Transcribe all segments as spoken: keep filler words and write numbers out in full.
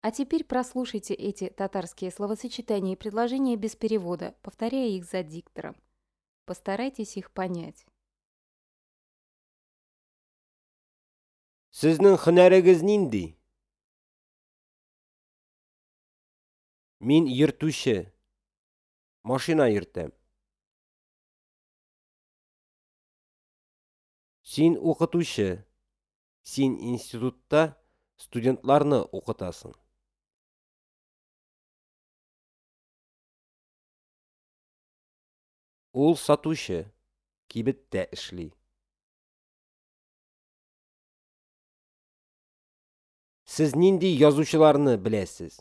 А теперь прослушайте эти татарские словосочетания и предложения без перевода, повторяя их за диктором. Постарайтесь их понять. Сезнең һөнәрегез нинди? Мин йөртүче. Машина йөртәм. Син укытучы. Син институтта студентларны укытасың. Ул сатучы, кибеттә эшли. Сез нинди язучыларны беләсез?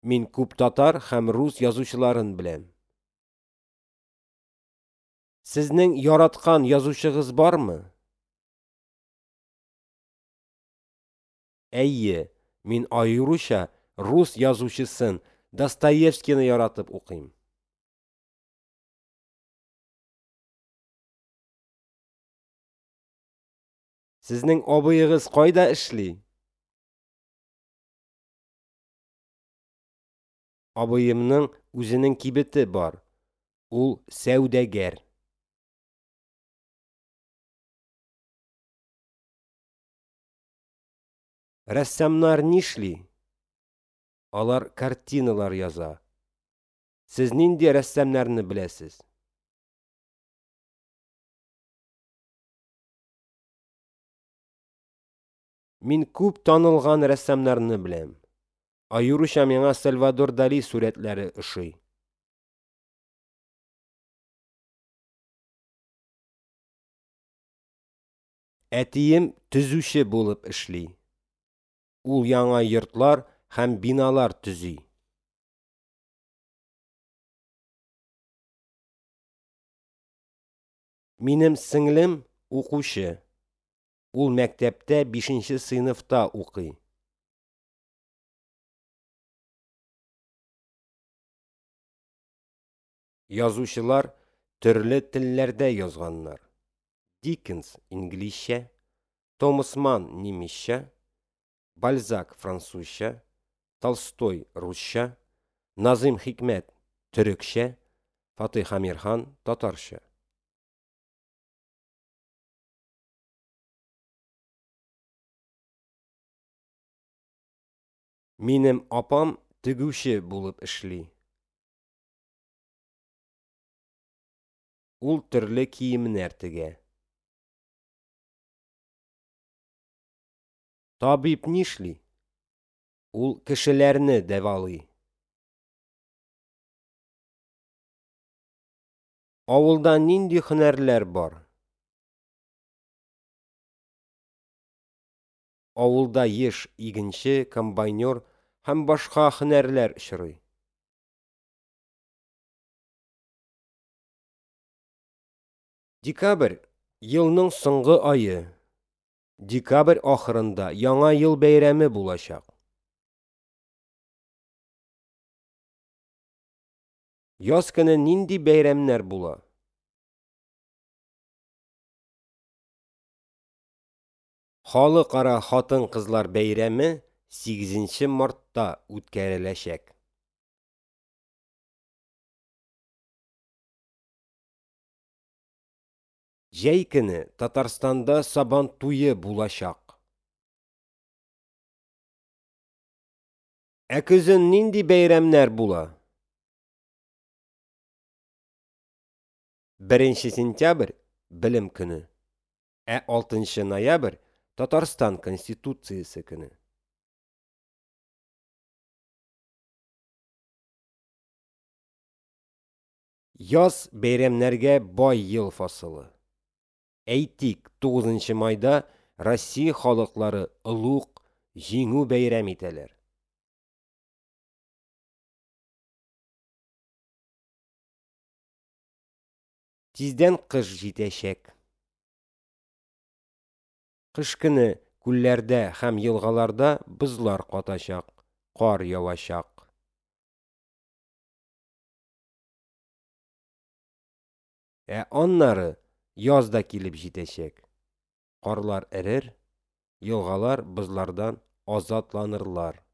Мин күп татар һәм рус язучыларын беләм. Сезнең яраткан язучыгыз бармы? Әйе, мин аеруча рус язучысын Достоевскийны яратып укыйм. Сезнең абыегыз кайда эшли? Абыемның үзенең кибете бар. Ул сәүдәгәр. Рәссамнар нишли? Алар картиналар яза. Сез нинди рәссамнарны беләсез? Мин күп танылган рәссамнарны беләм. Аеруча миңа Сальвадор Дали сурәтләре ошый. Әтием төзүче булып эшли. Ул яңа йортлар һәм биналар төзи. Минем сеңлем укучы. Ул мәктәптә бишенче сыйныфта укый. Язучылар төрле телләрдә язганнар. Диккенс инглизчә, Томас Манн немецчә, Бальзак французча, Толстой русча, Назыйм Хикмәт төрекчә, Фатыйх Әмирхан татарча. Минем апам тегүче булып эшли. Ул төрле киемнәр тегә. Табиб нишли? Ул кешеләрне дәвалый. Авылда нинди һөнәрләр бар? Авылда еш игенче, комбайнер һәм башка һөнәрләр очрый. Декабрь елның соңгы ае. Декабрь ахырында Яңа ел бәйрәме булачак. Яз көне нинди бәйрәмнәр була? Халыкара хатын-кызлар бәйрәме сигезенче мартта үткәреләчәк. Җәй көне Татарстанда Сабан туе булачак. Ә көзен нинди бәйрәмнәр була? Беренче сентябрь Белем көне, ә алтынчы ноябрь Татарстан Конституциясе көне. Яз бәйрәмнәргә бай ел фасылы. Әйтик, тугызынчы майда Россия халыклары олуг Җиңү бәйрәм итәләр. Тиздән кыш җитәчәк. Кыш көне күлләрдә һәм елгаларда бозлар катачак, кар явачак. Ә аннары яз да килеп җитәчәк. Карлар эрер, Елгалар бозлардан азатланырлар.